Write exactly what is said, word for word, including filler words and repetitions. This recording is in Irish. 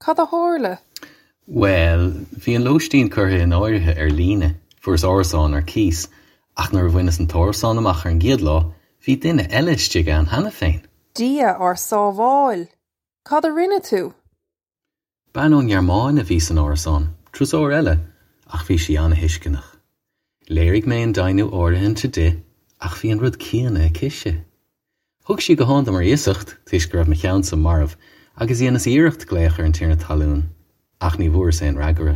Cad a tharla? Bhuel, bhí an lóistín curtha in áirithe ar líne, fuaireas árasán ar cíos, ach nuair a bhaineas an t-árasán amach ar an gcéad lá, bhí duine eile istigh ann cheana féin. Dia ár sábháil! Cad a rinne tú? Bean ón nGearmáin a bhí san árasán, turasóir eile, ach bhí sí an-tuisceanach. Léirigh mé an deimhniú áirithinte di, ach bhí an rud céanna aicise. Thug sí guthán dom ar iasacht toisc go raibh mo cheannsa marbh, agus dhéanas iarracht glaoch ar an tiarna talún, ach ní bhfuaireas aon fhreagra.